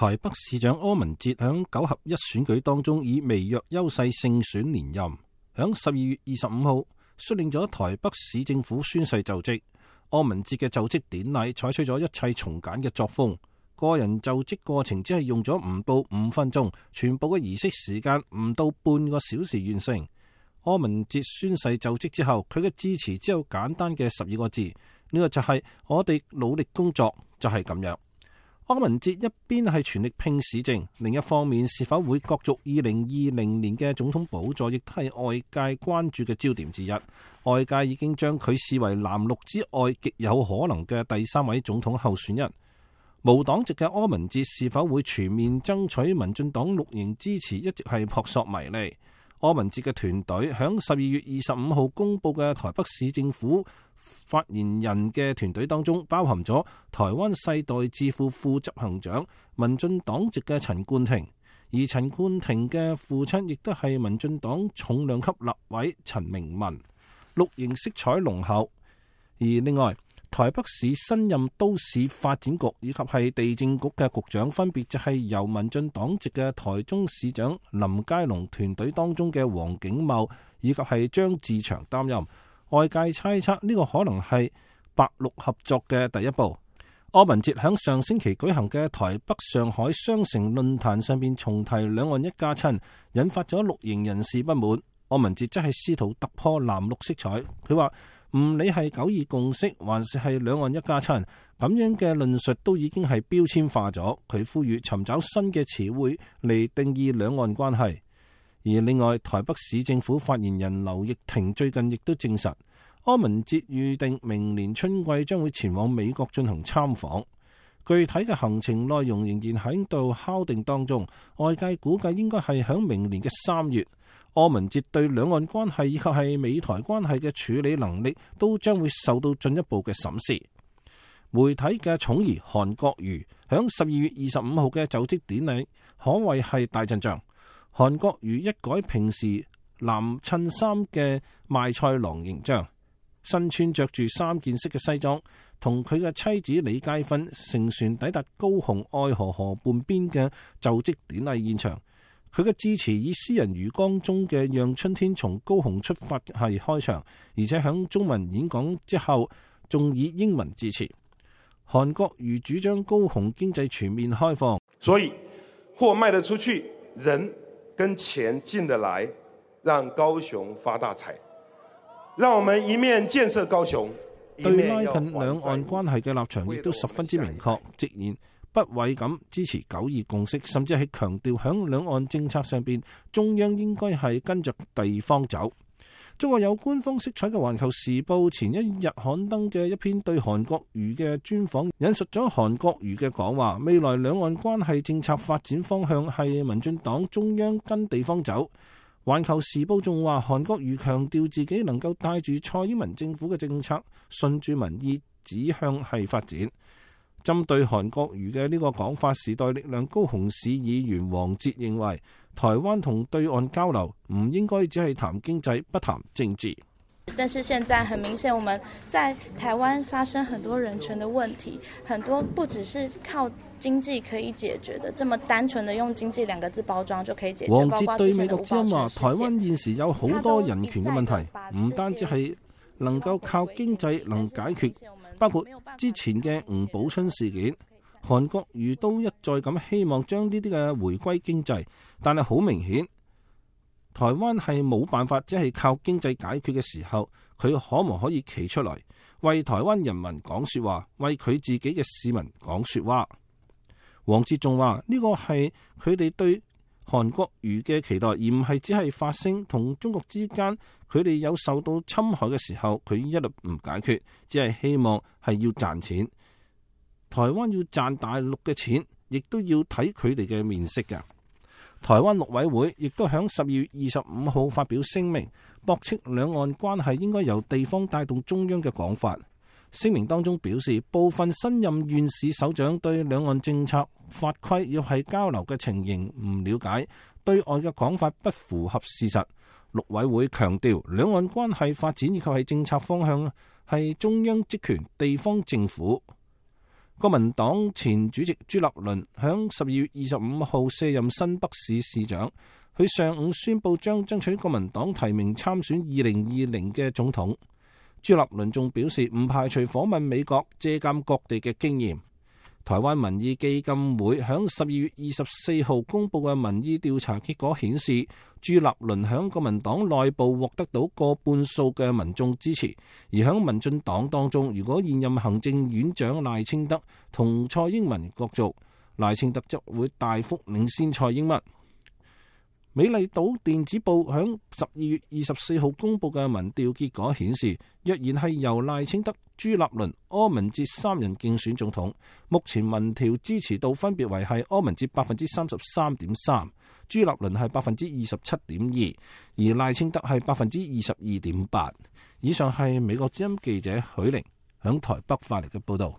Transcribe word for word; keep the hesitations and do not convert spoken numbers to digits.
台北市長柯文哲響九合一選舉當中以微弱優勢勝選連任，響十二月二十五號率領咗台北市政府宣誓就職。柯文哲嘅就職典禮採取咗一切從簡嘅作風，個人就職過程只係用咗唔到五分鐘，全部嘅儀式時間唔到半個小時完成。柯文哲宣誓就職之後，佢嘅致辭只有簡單嘅十二個字，呢個就係我哋努力工作，就係咁樣。柯文哲一邊係全力拼市政，另一方面是否會角逐二零二零年嘅總統寶座，亦都係外界關注嘅焦點之一。外界已經將佢視為藍綠之外極有可能嘅第三位總統候選人。無黨籍嘅柯文哲是否會全面爭取民進黨綠營支持，一直係撲朔迷離。柯文哲嘅團隊響十二月二十五號公布嘅台北市政府發言人嘅團隊當中，包含咗台灣世代智庫副執行長民進黨籍嘅陳冠廷，而陳冠廷嘅父親亦都係民進黨重量級立委陳明文，綠營色彩濃厚。而另外，台北市新任都市發展局以及係地政局嘅局長，分別就係由民進黨籍嘅台中市長林佳龍團隊當中嘅黃景茂以及係張志祥擔任。外界猜測呢個可能係白綠合作嘅第一步。柯文哲喺上星期舉行嘅台北上海雙城論壇上邊重提兩岸一家親，引發咗綠營人士不滿。柯文哲則係試圖突破藍綠色彩，佢話唔理係九二共識還是係兩岸一家親，咁樣嘅論述都已經係標籤化咗。佢呼籲尋找新嘅詞彙嚟定義兩岸關係。而另外，台北市政府發言人劉奕霆最近亦都證實，柯文哲預定明年春季將會前往美國進行參訪，具體嘅行程內容仍然喺度敲定當中。外界估計應該係響明年嘅三月。柯文哲對兩岸關係以及係美台關係嘅處理能力都將會受到進一步嘅審視。媒體嘅寵兒韓國瑜響十二月二十五號嘅就職典禮可謂係大陣仗。韓國瑜一改平時藍襯衫嘅賣菜郎形象，身穿着住三件式嘅西裝，同佢嘅妻子李佳芬乘船抵達高雄愛河河畔邊嘅就職典禮現場。佢嘅致辭以詩人余光中嘅《讓春天從高雄出發》係開場，而且響中文演講之後，仲以英文致辭。韓國瑜主張高雄經濟全面開放，所以貨賣得出去，人跟錢進得來，讓高雄發大財。讓我們一面建設高雄，對拉近兩岸關係嘅立場亦都十分之明確，直言不諱咁支持九二共識，甚至係強調響兩岸政策上邊，中央應該係跟着地方走。中國有官方色彩嘅《環球時報》前一日刊登嘅一篇對韓國瑜嘅專訪，引述咗韓國瑜嘅講話，未來兩岸關係政策發展方向係民進黨中央跟地方走。《環球時報》仲話，韓國瑜強調自己能夠帶住蔡英文政府嘅政策，順住民意指向係發展。針對韓國瑜嘅呢個講法，時代力量高雄市議員黃捷認為，台灣同對岸交流唔應該只係談經濟，不談政治。但是現在很明顯，我們在台灣發生很多人權的問題，很多不只是靠經濟可以解決的，這麼單純的用經濟兩個字包裝就可以解決。黃捷對美國之音話，台灣現時有好多人權嘅問題，唔單止係能夠靠經濟能解決，包括之前嘅吳寶春事件，韓國瑜都一再咁希望將呢啲嘅回歸經濟，但係好明顯，台灣係冇辦法只係靠經濟解決嘅時候，佢可唔可以企出來為台灣人民講說話，為佢自己嘅市民講說話？黃捷仲話呢個係佢哋對韓國瑜嘅期待，而唔係只係發聲。同中國之間佢哋有受到侵害嘅時候，佢一律唔解決，只係希望係要賺錢。台灣要賺大陸嘅錢，亦都要睇佢哋嘅面色㗎。台灣陸委會亦都響十二月二十五號發表聲明，駁斥兩岸關係應該由地方帶動中央嘅講法。聲明當中表示，部分新任縣市首長對兩岸政策法規要係交流嘅情形唔了解，對外嘅講法不符合事實。陸委會強調，兩岸關係發展以及係政策方向係中央職權，地方政府國民黨前主席朱立倫響十二月二十五號卸任新北市市長，佢上午宣布將爭取國民黨提名參選二零二零嘅總統。朱立倫仲表示唔排除訪問美國，借鑑各地嘅經驗。台灣民意基金會響十二月二十四號公布嘅民意調查結果顯示，朱立倫響國民黨內部獲得到過半數嘅民眾支持，而響民進黨當中，如果現任行政院長賴清德同蔡英文角逐，賴清德則會大幅領先蔡英文。美麗島電子報響十二月二十四號公布嘅民調結果顯示，若然係由賴清德、朱立倫、柯文哲三人競選總統，目前民調支持度分別為係柯文哲百分之三十三點三，朱立倫係百分之二十七點二，而賴清德係百分之二十二點八。以上係美國之音記者許玲響台北發嚟嘅報道。